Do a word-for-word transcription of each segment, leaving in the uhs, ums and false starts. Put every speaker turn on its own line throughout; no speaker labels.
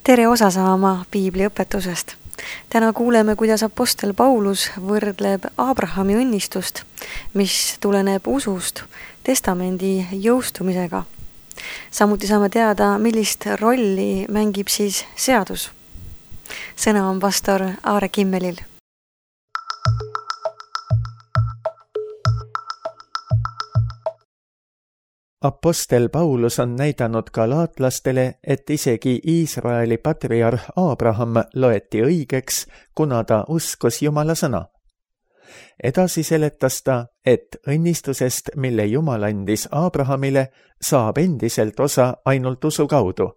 Tere osa saama Piibli õpetusest. Täna kuuleme, kuidas apostel Paulus võrdleb Abrahami õnnistust, mis tuleneb usust, testamendi jõustumisega. Samuti saame teada, millist rolli mängib siis seadus. Sõna on pastor Aare Kimmelil.
Apostel Paulus on näidanud galaatlastele, et isegi Iisraeli patriarh Abraham loeti õigeks, kuna ta uskus Jumala sõna. Edasi seletas ta, et õnnistusest, mille Jumal andis Abrahamile, saab endiselt osa ainult usu kaudu.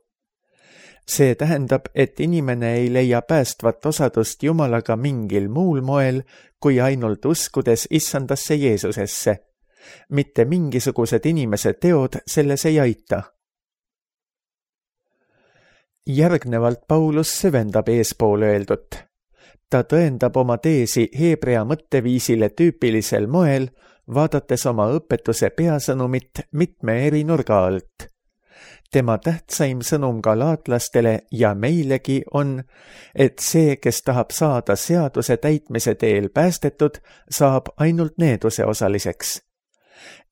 See tähendab, et inimene ei leia päästvat osadust Jumalaga mingil muul moel, kui ainult uskudes issandasse Jeesusesse. Mitte mingisugused inimese teod selles ei aita. Järgnevalt Paulus süvendab eespool öeldut. Ta tõendab oma teesi heebrea mõtteviisile tüüpilisel moel, vaadates oma õpetuse peasõnumit mitme eri nurga alt. Tema tähtsaim sõnum galaatlastele ja meilegi on, et see, kes tahab saada seaduse täitmise teel päästetud, saab ainult needuse osaliseks.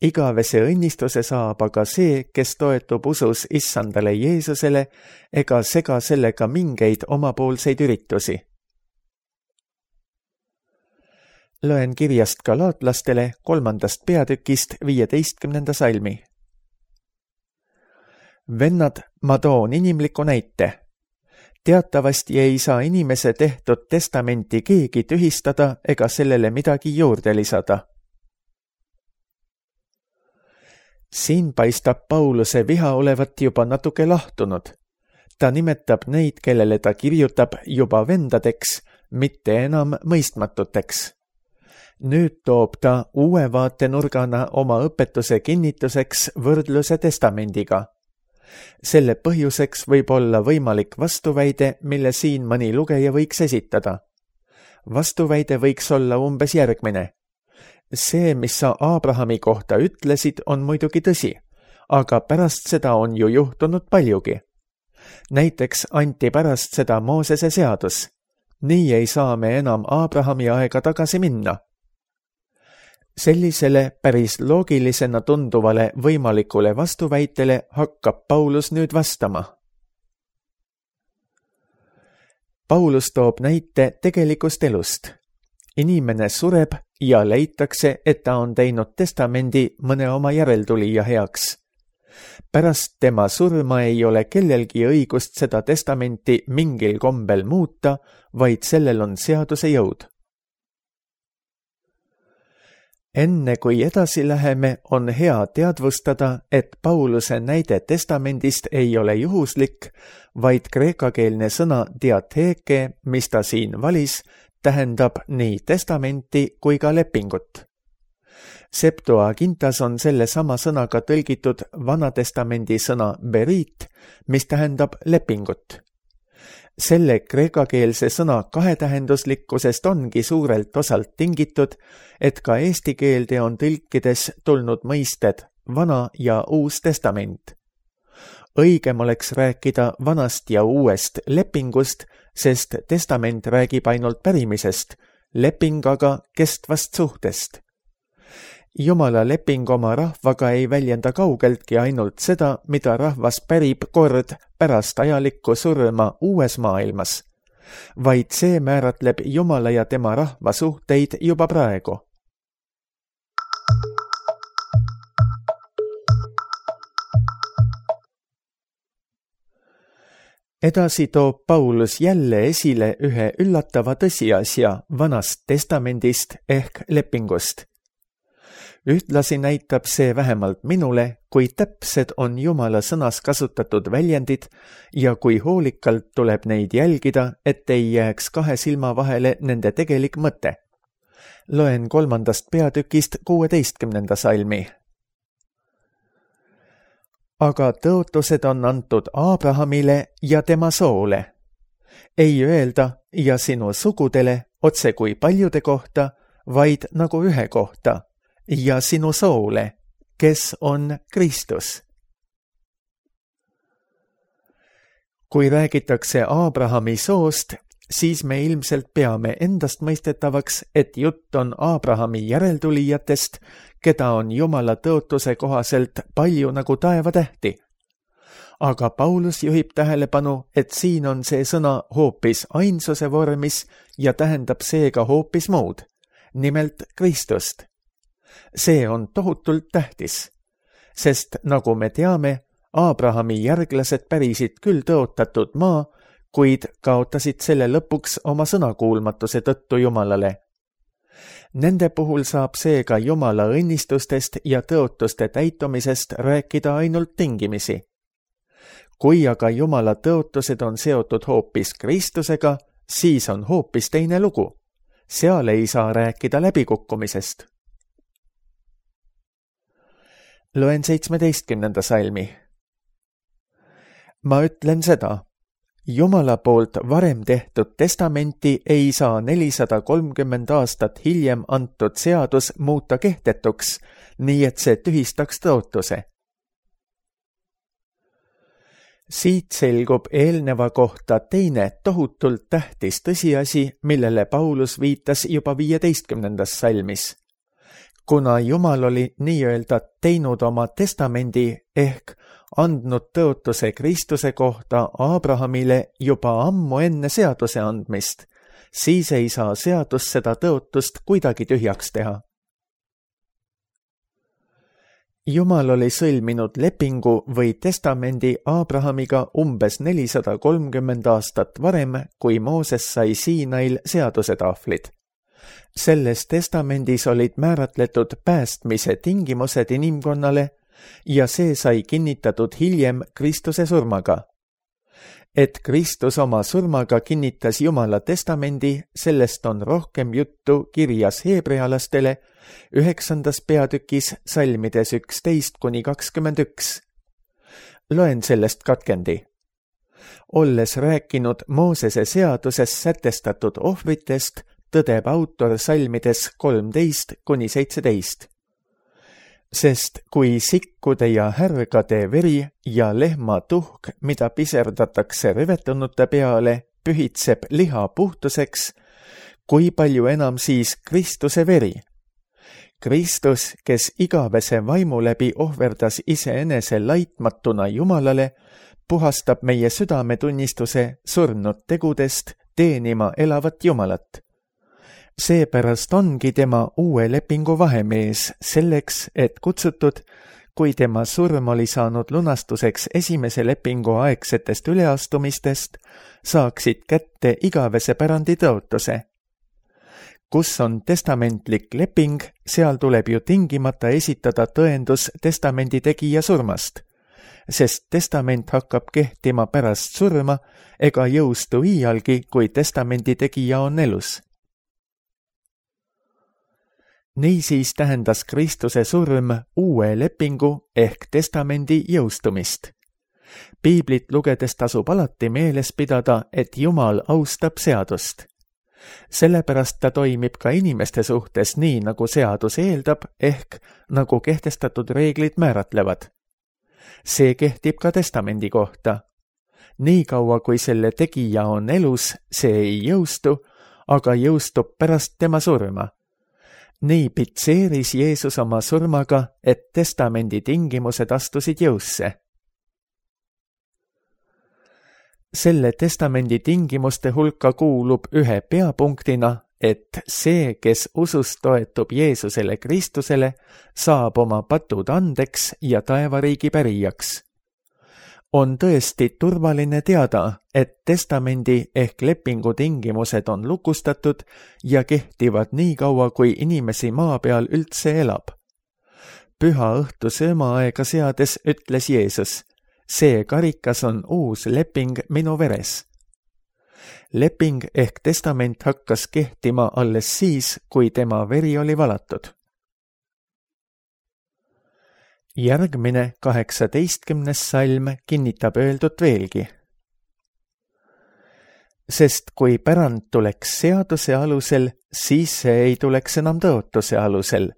Igavese õnnistuse saab aga see, kes toetub usus issandale Jeesusele ega sega sellega mingeid omapoolseid üritusi. Loen kirjast galaatlastele kolmandast peatükist viieteistkümnenda salmi. Vennad, ma toon inimliku näite. Teatavasti ei saa inimese tehtud testamenti keegi tühistada ega sellele midagi juurde lisada. Siin paistab Pauluse viha olevat juba natuke lahtunud. Ta nimetab neid, kellele ta kirjutab, juba vendadeks, mitte enam mõistmatuteks. Nüüd toob ta uue vaatenurgana oma õpetuse kinnituseks võrdluse testamendiga. Selle põhjuseks võib olla võimalik vastuväide, mille siin mõni lugeja võiks esitada. Vastuväide võiks olla umbes järgmine. See, mis sa Abrahami kohta ütlesid, on muidugi tõsi, aga pärast seda on ju juhtunud paljugi. Näiteks anti pärast seda Moosese seadus. Nii ei saa me enam Abrahami aega tagasi minna. Sellisele päris loogilisena tunduvale võimalikule vastuväitele hakkab Paulus nüüd vastama. Paulus toob näite tegelikust elust. Inimene sureb ja leitakse, et ta on teinud testamendi mõne oma järeltulija heaks. Pärast tema surma ei ole kellelgi õigust seda testamenti mingil kombel muuta, vaid sellel on seaduse jõud. Enne kui edasi läheme, on hea teadvustada, et Pauluse näide testamendist ei ole juhuslik, vaid kreekakeelne sõna diatheke, mis ta siin valis, tähendab nii testamenti kui ka lepingut. Septuagintas on selle sama sõnaga tõlgitud Vanatestamendi sõna berit, mis tähendab lepingut. Selle kreekakeelse sõna kahetähenduslikkusest ongi suurelt osalt tingitud, et ka eesti keelde on tõlkides tulnud mõisted vana ja uus testament. Õigem oleks rääkida vanast ja uuest lepingust, sest testament räägib ainult pärimisest, leping aga kestvast suhtest. Jumala leping oma rahvaga ei väljenda kaugeltki ainult seda, mida rahvas pärib kord pärast ajalikku surma uues maailmas, vaid see määratleb Jumala ja tema rahva suhteid juba praegu. Edasi toob Paulus jälle esile ühe üllatava tõsiasja vanast testamendist ehk lepingust. Ühtlasi näitab see vähemalt minule, kui täpsed on Jumala sõnas kasutatud väljendid ja kui hoolikalt tuleb neid jälgida, et ei jääks kahe silma vahele nende tegelik mõte. Loen kolmandast peatükist kuueteistkümnenda salmi. Aga tõotused on antud Abrahamile ja tema soole. Ei öelda ja sinu sugudele otse kui paljude kohta, vaid nagu ühe kohta, ja sinu soole, kes on Kristus. kui räägitakse Aabrahami soost, siis me ilmselt peame endast mõistetavaks, et jutt on Aabrahami järeltulijatest, keda on Jumala tõotuse kohaselt palju nagu taevatähti. Aga Paulus juhib tähelepanu, et siin on see sõna hoopis ainsuse vormis ja tähendab seega hoopis muud, nimelt Kristust. See on tohutult tähtis, sest nagu me teame, Aabrahami järglased pärisid küll tõotatud maa, kuid kaotasid selle lõpuks oma sõnakuulmatuse tõttu Jumalale. Nende puhul saab seega Jumala õnnistustest ja tõotuste täitumisest rääkida ainult tingimisi. Kui aga Jumala tõotused on seotud hoopis Kristusega, siis on hoopis teine lugu. Seal ei saa rääkida läbikukkumisest. Loen seitsmeteistkümnenda salmi. Ma ütlen seda. Jumala poolt varem tehtud testamenti ei saa nelisada kolmkümmend aastat hiljem antud seadus muuta kehtetuks, nii et see tühistaks tõotuse. Siit selgub eelneva kohta teine tohutult tähtis tõsiasi, millele Paulus viitas juba viieteistkümnendas salmis. Kuna Jumal oli nii-öelda teinud oma testamendi ehk andnud tõotuse Kristuse kohta Aabrahamile juba ammu enne seaduse andmist, siis ei saa seadus seda tõotust kuidagi tühjaks teha. Jumal oli sõlminud lepingu või testamendi Aabrahamiga umbes nelisada kolmkümmend aastat varem, kui Mooses sai Siinail seadusetahvlid. Selles testamendis olid määratletud päästmise tingimused inimkonnale ja see sai kinnitatud hiljem Kristuse surmaga. Et Kristus oma surmaga kinnitas Jumala testamendi, sellest on rohkem juttu kirjas heebrealastele üheksandas peatükis salmides üksteist kuni kakskümmend üks. Loen sellest katkendi. Olles rääkinud Moosese seaduses sätestatud ohvritest, tõdeb autor salmides kolmteist kuni seitseteist. Sest kui sikkude ja härgade veri ja lehma tuhk, mida piserdatakse rüvetunute peale, pühitseb liha puhtuseks, kui palju enam siis Kristuse veri? Kristus, kes igavese vaimu läbi ohverdas iseenese laitmatuna Jumalale, puhastab meie südametunnistuse surnud tegudest teenima elavat Jumalat. Seepärast ongi tema uue lepingu vahemees selleks, et kutsutud, kui tema surm oli saanud lunastuseks esimese lepingu aegsetest üleastumistest, saaksid kätte igavese pärandi tõotuse. Kus on testamentlik leping, seal tuleb ju tingimata esitada tõendus testamendi tegija surmast, sest testament hakkab kehtima pärast surma ega jõustu iialgi, kui testamendi tegija on elus. Niisiis tähendas Kristuse surm uue lepingu ehk testamendi jõustumist. Piiblit lugedes tasub alati meeles pidada, et Jumal austab seadust. Sellepärast ta toimib ka inimeste suhtes nii, nagu seadus eeldab, ehk nagu kehtestatud reeglid määratlevad. See kehtib ka testamendi kohta. Nii kaua, kui selle tegija on elus, see ei jõustu, aga jõustub pärast tema surma. Nii pitseeris Jeesus oma surmaga, et testamendi tingimused astusid jõusse. Selle testamendi tingimuste hulka kuulub ühe peapunktina, et see, kes usust toetub Jeesusele Kristusele, saab oma patud andeks ja taevariigi pärijaks. On tõesti turvaline teada, et testamendi ehk lepingu tingimused on lukustatud ja kehtivad nii kaua, kui inimesi maa peal üldse elab. Püha õhtu söömaaega seades ütles Jeesus, see karikas on uus leping minu veres. Leping ehk testament hakkas kehtima alles siis, kui tema veri oli valatud. Järgmine kaheksateistkümnes salm kinnitab öeldut veelgi. Sest kui pärand tuleks seaduse alusel, siis see ei tuleks enam tõotuse alusel.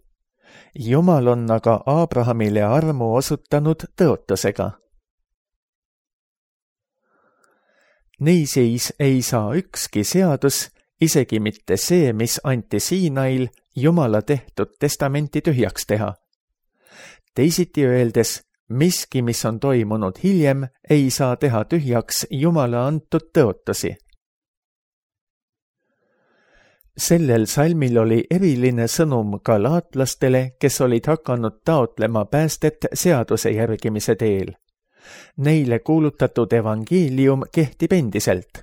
Jumal on aga Aabrahamile armu osutanud tõotusega. Niisiis ei saa ükski seadus, isegi mitte see, mis anti Siinail, Jumala tehtud testamenti tühjaks teha. Teisiti öeldes, miski, mis on toimunud hiljem, ei saa teha tühjaks Jumala antud tõotusi. Sellel salmil oli eriline sõnum galaatlastele, kes olid hakanud taotlema päästet seaduse järgimise teel. Neile kuulutatud evangeelium kehtib endiselt.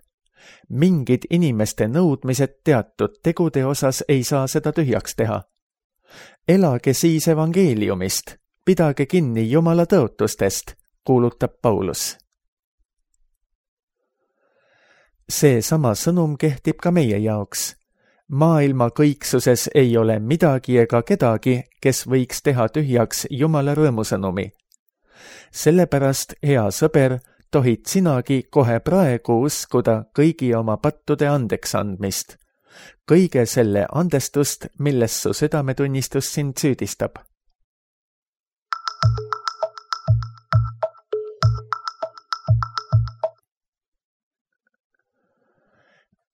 Mingid inimeste nõudmised teatud tegude osas ei saa seda tühjaks teha. Elage siis evangeeliumist, pidage kinni Jumala tõotustest, kuulutab Paulus. See sama sõnum kehtib ka meie jaoks. Maailma kõiksuses ei ole midagi ega kedagi, kes võiks teha tühjaks Jumala rõõmusõnumi. Sellepärast, hea sõber, tohid sinagi kohe praegu uskuda kõigi oma pattude andeks andmist. Kõige selle andestust, milles su südametunnistus sind süüdistab.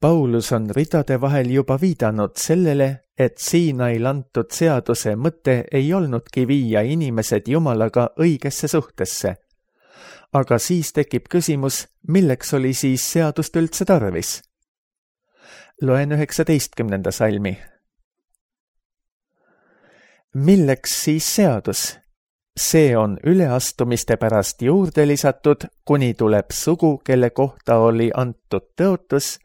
Paulus on ridade vahel juba viidanud sellele, et Siinail antud seaduse mõte ei olnudki viia inimesed Jumalaga õigesse suhtesse. Aga siis tekib küsimus, milleks oli siis seadust üldse tarvis? Loen üheksateistkümnenda salmi. Milleks siis seadus? See on üleastumiste pärast juurde lisatud, kuni tuleb sugu, kelle kohta oli antud tõotus,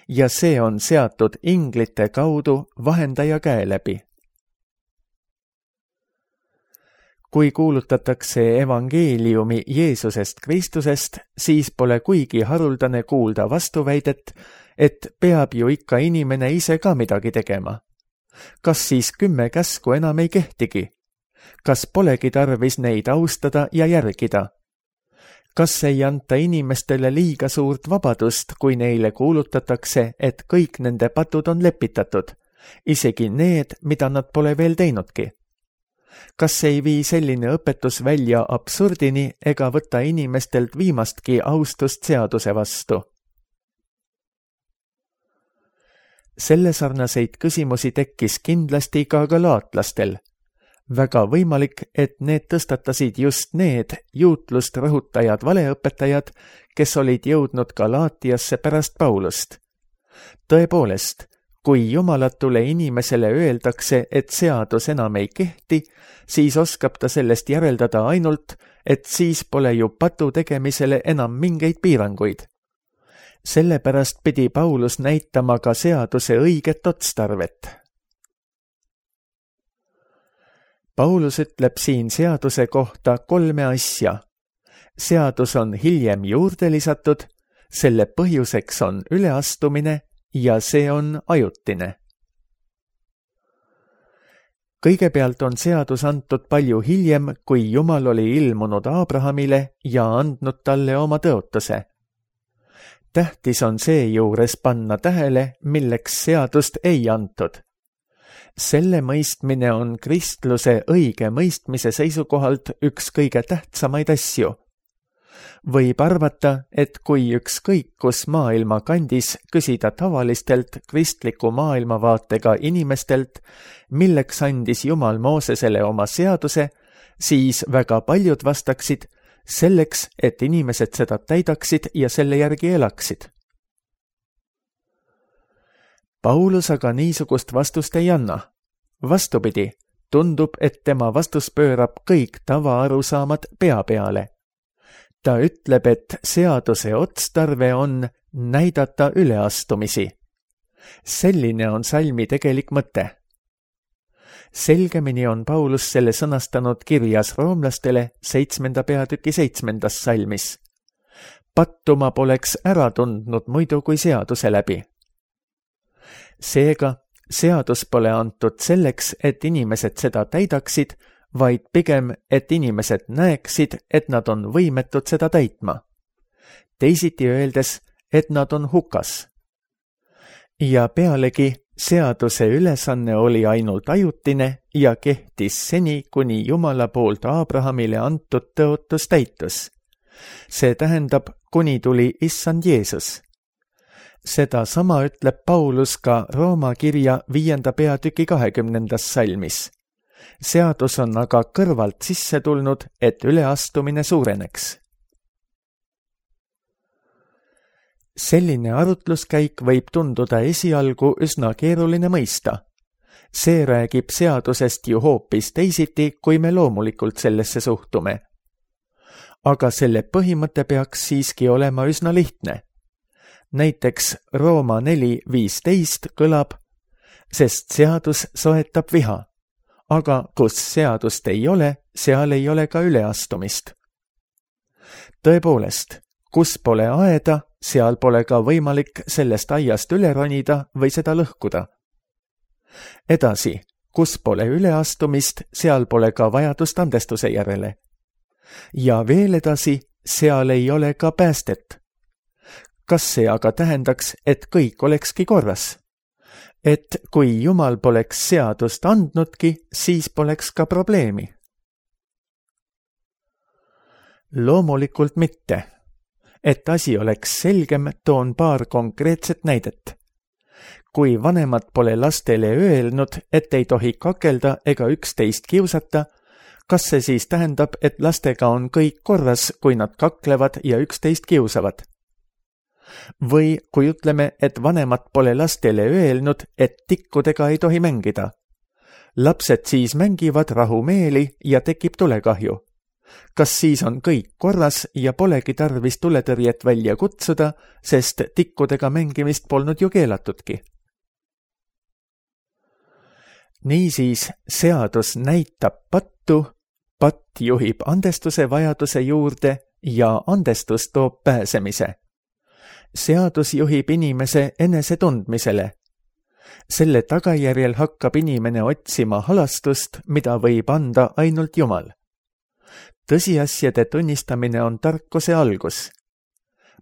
ja see on seatud inglite kaudu vahendaja käe läbi. Kui kuulutatakse evangeeliumi Jeesusest Kristusest, siis pole kuigi haruldane kuulda vastuväidet, et peab ju ikka inimene ise ka midagi tegema. Kas siis kümme käsku enam ei kehtigi? Kas polegi tarvis neid austada ja järgida? Kas ei anta inimestele liiga suurt vabadust, kui neile kuulutatakse, et kõik nende patud on lepitatud, isegi need, mida nad pole veel teinudki? Kas ei vii selline õpetus välja absurdini ega võta inimestelt viimastki austust seaduse vastu? Selle sarnaseid küsimusi tekkis kindlasti ka galaatlastel. Väga võimalik, et need tõstatasid just need juutlust rõhutajad valeõpetajad, kes olid jõudnud Galaatiasse pärast Paulust. Tõepoolest, kui jumalatule inimesele öeldakse, et seadus enam ei kehti, siis oskab ta sellest järeldada ainult, et siis pole ju patu tegemisele enam mingeid piiranguid. Sellepärast pidi Paulus näitama ka seaduse õiget otstarvet. Paulus ütleb siin seaduse kohta kolme asja. Seadus on hiljem juurde lisatud, selle põhjuseks on üleastumine ja see on ajutine. Kõigepealt on seadus antud palju hiljem, kui Jumal oli ilmunud Aabrahamile ja andnud talle oma tõotuse. Tähtis on seejuures panna tähele, milleks seadust ei antud. Selle mõistmine on kristluse õige mõistmise seisukohalt üks kõige tähtsamaid asju. Võib arvata, et kui ükskõik kus maailma kandis küsida tavalistelt kristliku maailmavaatega inimestelt, milleks andis Jumal Moosesele oma seaduse, siis väga paljud vastaksid selleks, et inimesed seda täidaksid ja selle järgi elaksid. Paulus aga niisugust vastust ei anna. Vastupidi, tundub, et tema vastus pöörab kõik tavaarusaamad pea peale. Ta ütleb, et seaduse otstarve on näidata üleastumisi. Selline on salmi tegelik mõte. Selgemini on Paulus selle sõnastanud kirjas roomlastele seitsmenda peatüki seitsmendas salmis. Pattuma poleks ära tundnud muidu kui seaduse läbi. Seega, seadus pole antud selleks, et inimesed seda täidaksid, vaid pigem, et inimesed näeksid, et nad on võimetud seda täitma. Teisiti öeldes, et nad on hukas. Ja pealegi, seaduse ülesanne oli ainult ajutine ja kehtis seni, kuni Jumala poolt Aabrahamile antud tõotus täitus. See tähendab, kuni tuli issand Jeesus. Seda sama ütleb Paulus ka Rooma kirja viienda peatüki kahekümnendas salmis. Seadus on aga kõrvalt sisse tulnud, et üleastumine suureneks. Selline arutluskäik võib tunduda esialgu üsna keeruline mõista. See räägib seadusest ju hoopis teisiti, kui me loomulikult sellesse suhtume. Aga selle põhimõte peaks siiski olema üsna lihtne. Näiteks Rooma neli viisteist kõlab, sest seadus soetab viha, aga kus seadust ei ole, seal ei ole ka üleastumist. Tõepoolest, kus pole aeda, seal pole ka võimalik sellest aiast üle ronida või seda lõhkuda. Edasi, kus pole üleastumist, seal pole ka vajadust andestuse järele. Ja veel edasi, seal ei ole ka päästet. Kas see aga tähendaks, et kõik olekski korras? Et kui Jumal poleks seadust andnudki, siis poleks ka probleemi? Loomulikult mitte. Et asi oleks selgem, toon paar konkreetset näidet. Kui vanemad pole lastele öelnud, et ei tohi kakelda ega üksteist kiusata, kas see siis tähendab, et lastega on kõik korras, kui nad kaklevad ja üksteist kiusavad? Või kui ütleme, et vanemad pole lastele öelnud, et tikkudega ei tohi mängida. Lapsed siis mängivad rahumeeli ja tekib tulekahju. Kas siis on kõik korras ja polegi tarvis tuletõrjet välja kutsuda, sest tikkudega mängimist polnud ju keelatudki? Niisiis, seadus näitab pattu, patt juhib andestuse vajaduse juurde ja andestus toob pääsemise. Seadus juhib inimese enesetundmisele. Selle tagajärjel hakkab inimene otsima halastust, mida võib anda ainult Jumal. Tõsiasjade tunnistamine on tarkuse algus.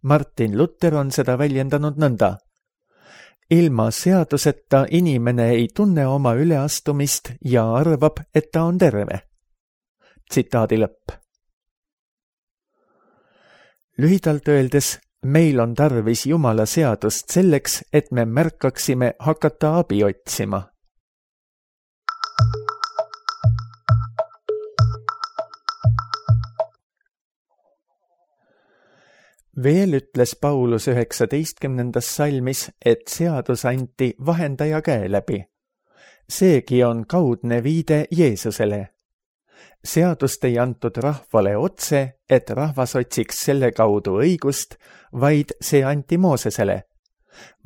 Martin Luther on seda väljendanud nõnda. Ilma seaduseta inimene ei tunne oma üleastumist ja arvab, et ta on terve. Tsitaadi lõpp. Lühidalt öeldes, meil on tarvis Jumala seadust selleks, et me märkaksime hakata abi otsima. Veel ütles Paulus üheksateistkümnendas salmis, et seadus anti vahendaja käe läbi. Seegi on kaudne viide Jeesusele. Seadust ei antud rahvale otse, et rahvas otsiks selle kaudu õigust, vaid see anti Moosesele,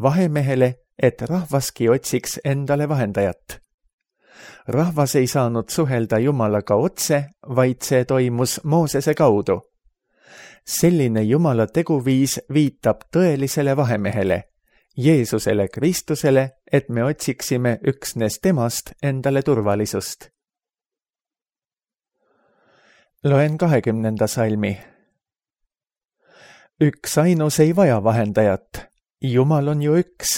vahemehele, et rahvaski otsiks endale vahendajat. Rahvas ei saanud suhelda Jumalaga otse, vaid see toimus Moosese kaudu. Selline Jumala teguviis viitab tõelisele vahemehele, Jeesusele Kristusele, et me otsiksime üksnes temast endale turvalisust. Loen kahekümnenda salmi. Üks ainus ei vaja vahendajat, Jumal on ju üks.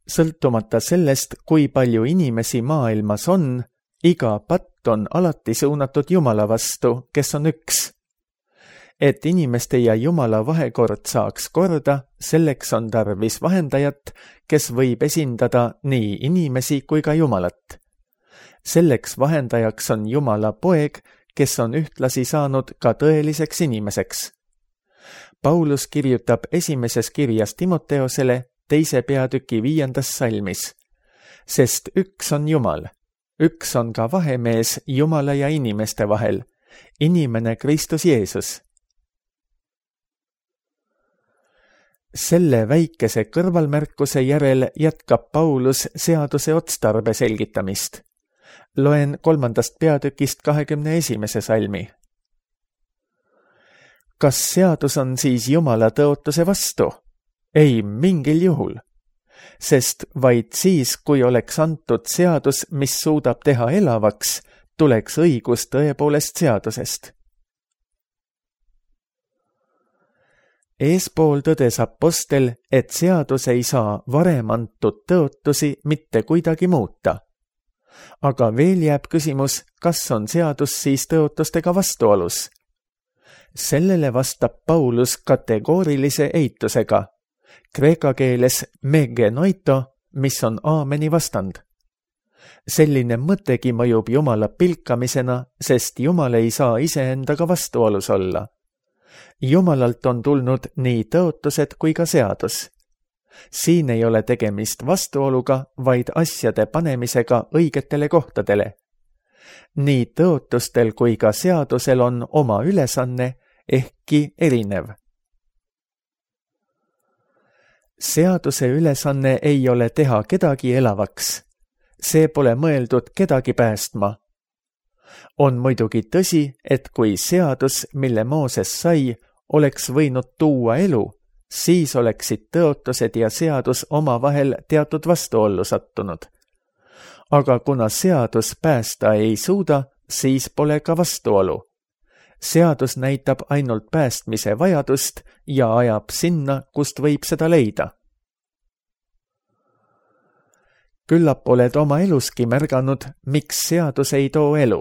Sõltumata sellest, kui palju inimesi maailmas on, iga patt on alati suunatud Jumala vastu, kes on üks. Et inimeste ja Jumala vahekord saaks korda, selleks on tarvis vahendajat, kes võib esindada nii inimesi kui ka Jumalat. Selleks vahendajaks on Jumala poeg, kes on ühtlasi saanud ka tõeliseks inimeseks. Paulus kirjutab esimeses kirjas Timoteosele teise peatüki viiendas salmis, sest üks on Jumal, üks on ka vahemees Jumala ja inimeste vahel, inimene Kristus Jeesus. Selle väikese kõrvalmärkuse järel jätkab Paulus seaduse otstarbe selgitamist. Loen kolmandast peatükist kahekümne esimese salmi. Kas seadus on siis Jumala tõotuse vastu? Ei mingil juhul. Sest vaid siis, kui oleks antud seadus, mis suudab teha elavaks, tuleks õigus tõepoolest seadusest. Eespool tõdes apostel, et seadus ei saa varem antud tõotusi mitte kuidagi muuta. Aga veel jääb küsimus, kas on seadus siis tõotustega vastuolus? Sellele vastab Paulus kategoorilise eitusega, kreeka keeles megenoito, mis on aameni vastand. Selline mõttegi mõjub Jumala pilkamisena, sest Jumal ei saa iseendaga vastuolus olla. Jumalalt on tulnud nii tõotused kui ka seadus. Siin ei ole tegemist vastuoluga, vaid asjade panemisega õigetele kohtadele. Nii tõotustel kui ka seadusel on oma ülesanne, ehkki erinev. Seaduse ülesanne ei ole teha kedagi elavaks. See pole mõeldud kedagi päästma. On muidugi tõsi, et kui seadus, mille Mooses sai, oleks võinud tuua elu, siis oleksid tõotused ja seadus omavahel teatud vastuollu sattunud. Aga kuna seadus päästa ei suuda, siis pole ka vastuolu. Seadus näitab ainult päästmise vajadust ja ajab sinna, kust võib seda leida. Küllap oled oma eluski märganud, miks seadus ei too elu.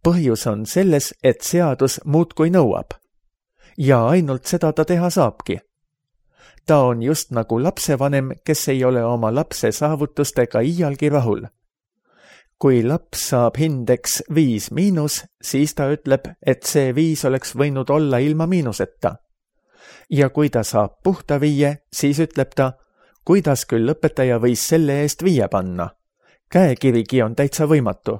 Põhjus on selles, et seadus muudkui nõuab. Ja ainult seda ta teha saabki. Ta on just nagu lapsevanem, kes ei ole oma lapse saavutustega iialgi rahul. Kui laps saab hindeks viis miinus, siis ta ütleb, et see viis oleks võinud olla ilma miinuseta. Ja kui ta saab puhta viie, siis ütleb ta, kuidas küll õpetaja võis selle eest viie panna. Käekirigi on täitsa võimatu.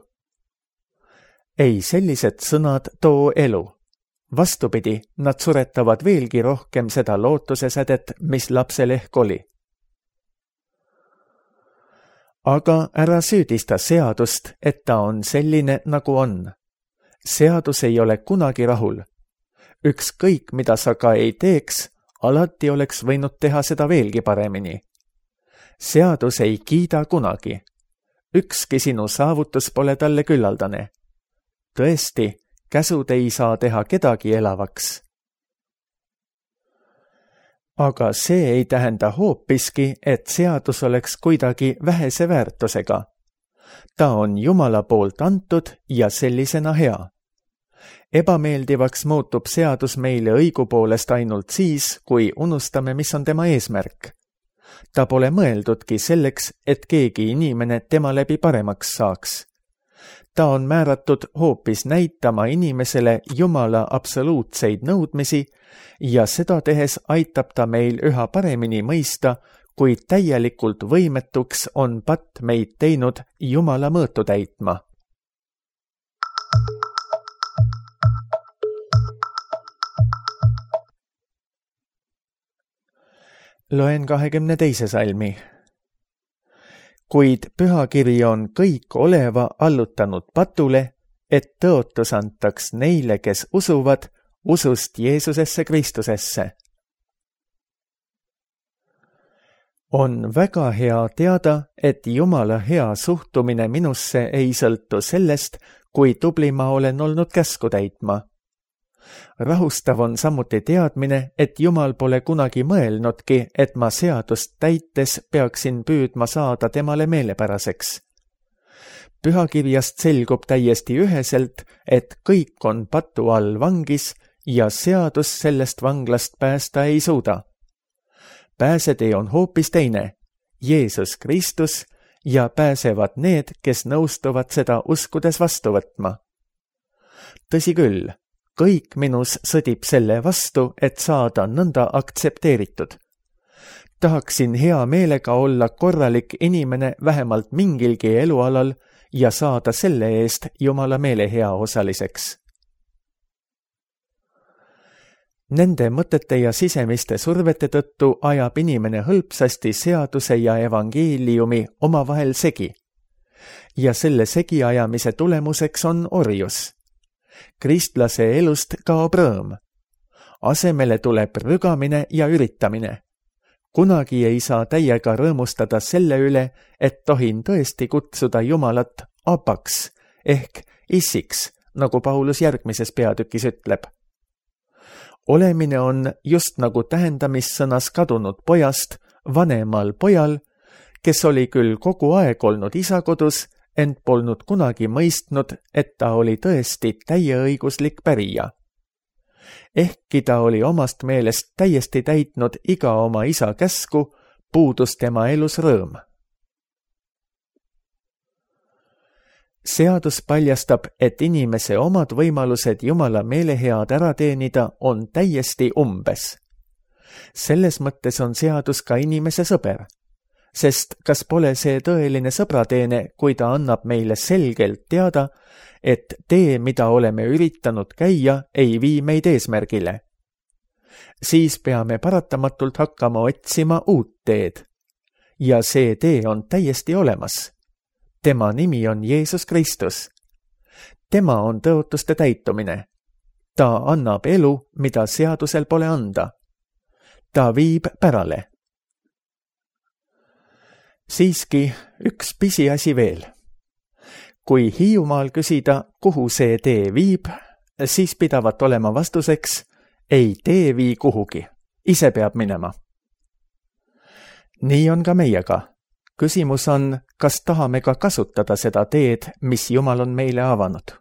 Ei, sellised sõnad too elu. Vastupidi, nad suretavad veelgi rohkem seda lootuse sädet, mis lapsel ehk oli. Aga ära süüdista seadust, et ta on selline, nagu on. Seadus ei ole kunagi rahul. Ükskõik, mida sa ka ei teeks, alati oleks võinud teha seda veelgi paremini. Seadus ei kiida kunagi. Ükski sinu saavutus pole talle küllaldane. Tõesti, käsud ei saa teha kedagi elavaks. Aga see ei tähenda hoopiski, et seadus oleks kuidagi vähese väärtusega. Ta on Jumala poolt antud ja sellisena hea. Ebameeldivaks muutub seadus meile õigupoolest ainult siis, kui unustame, mis on tema eesmärk. Ta pole mõeldudki selleks, et keegi inimene tema läbi paremaks saaks. Ta on määratud hoopis näitama inimesele Jumala absoluutseid nõudmisi ja seda tehes aitab ta meil üha paremini mõista, kui täielikult võimetuks on patt meid teinud Jumala mõõtu täitma. Loen kahekümne teise salmi. Kuid pühakiri on kõik oleva allutanud patule, et tõotus antaks neile, kes usuvad, usust Jeesusesse Kristusesse. On väga hea teada, et Jumala hea suhtumine minusse ei sõltu sellest, kui tubli ma olen olnud käsku täitma. Rahustav on samuti teadmine, et Jumal pole kunagi mõelnudki, et ma seadust täites peaksin püüdma saada temale meelepäraseks. Pühakirjast selgub täiesti üheselt, et kõik on patu all vangis ja seadus sellest vanglast päästa ei suuda. Pääsetee on hoopis teine, Jeesus Kristus, ja pääsevad need, kes nõustuvad seda uskudes vastu võtma. Tõsi küll, kõik minus sõdib selle vastu, et saada nõnda aktsepteeritud. Tahaksin hea meelega olla korralik inimene vähemalt mingilgi elualal ja saada selle eest Jumala meele hea osaliseks. Nende mõtete ja sisemiste survete tõttu ajab inimene hõlpsasti seaduse ja evangeeliumi omavahel segi. Ja selle segiajamise tulemuseks on orjus. Kristlase elust kaob rõõm. Asemele tuleb rügamine ja üritamine. Kunagi ei saa täiega rõõmustada selle üle, et tohin tõesti kutsuda Jumalat abaks ehk issiks, nagu Paulus järgmises peatükis ütleb. Olemine on just nagu tähendamissõnas kadunud pojast vanemal pojal, kes oli küll kogu aeg olnud isa kodus, ent polnud kunagi mõistnud, et ta oli tõesti täieõiguslik pärija. Ehkki ta oli omast meelest täiesti täitnud iga oma isa käsku, puudus tema elus rõõm. Seadus paljastab, et inimese omad võimalused Jumala meelehead ära teenida on täiesti umbes. Selles mõttes on seadus ka inimese sõber, sest kas pole see tõeline sõbrateene, kui ta annab meile selgelt teada, et tee, mida oleme üritanud käia, ei vii meid eesmärgile. Siis peame paratamatult hakkama otsima uut teed. Ja see tee on täiesti olemas. Tema nimi on Jeesus Kristus. Tema on tõotuste täitumine. Ta annab elu, mida seadusel pole anda. Ta viib pärale. Siiski üks pisiasi veel. Kui Hiiumaal küsida, kuhu see tee viib, siis pidavat olema vastuseks, ei tee vii kuhugi, ise peab minema. Nii on ka meiega. Küsimus on, kas tahame ka kasutada seda teed, mis Jumal on meile avanud.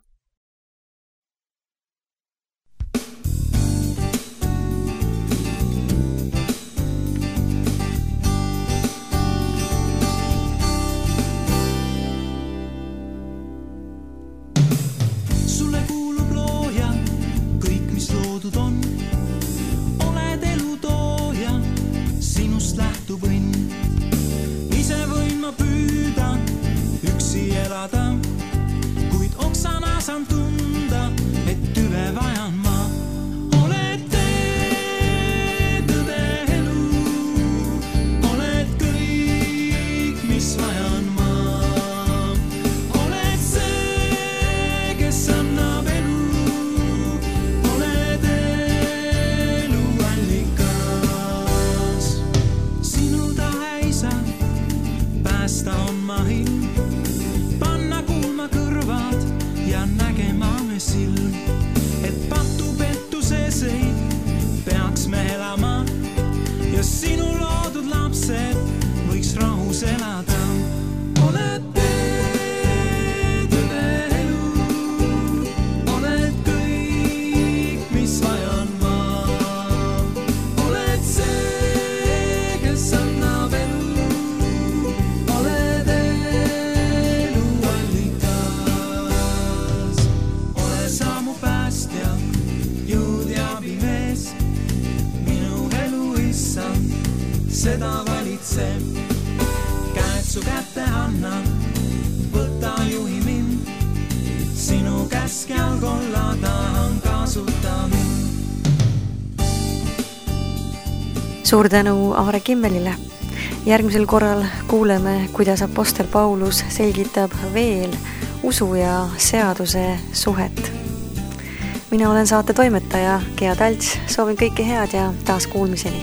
Sulle kuulub looja, kõik mis loodud on. Oled elu tooja, sinust lähtub õnn. Ise võin ma püüda, üksi elada, kuid oksana saan tunda, et tüve vajan ma. Oled tee, tõde elu, oled kõik, mis vajan ma. Oled see, kes annab elu, oled elu allikas. Sinu tahe isa, päästa on ma ilm, panna kuulma kõrvad ja nägema me silm, et patu pettuses ei peaks me elama ja sinu loodud lapsed võiks rahus elada. Oled tee, tõde elu, oled kõik, mis vajan ma. Oled see, kes annab elu, oled elu allikas. Ole sa mu päästja, jõud ja abimees, minu elu issand, seda valitseb. Käed su kätte anna, võta juhi mind, sinu käske all kolla tahan kasuta mind.
Suur tänu Aare Kimmelile. Järgmisel korral kuuleme, kuidas apostel Paulus selgitab veel usu ja seaduse suhet. Mina olen saate toimetaja Gea Talts, soovin kõike head ja taas kuulmiseni.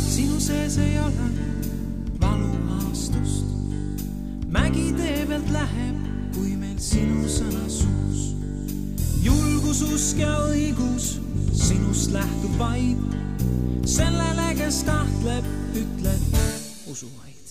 Sinu sees ei ole valuhaastust, mägi tee pealt läheb, kui meil sinu sõna suus. Julgus, usk ja õigus sinust lähtub vaid, sellele, kes tahtleb, ütleb usu vaid.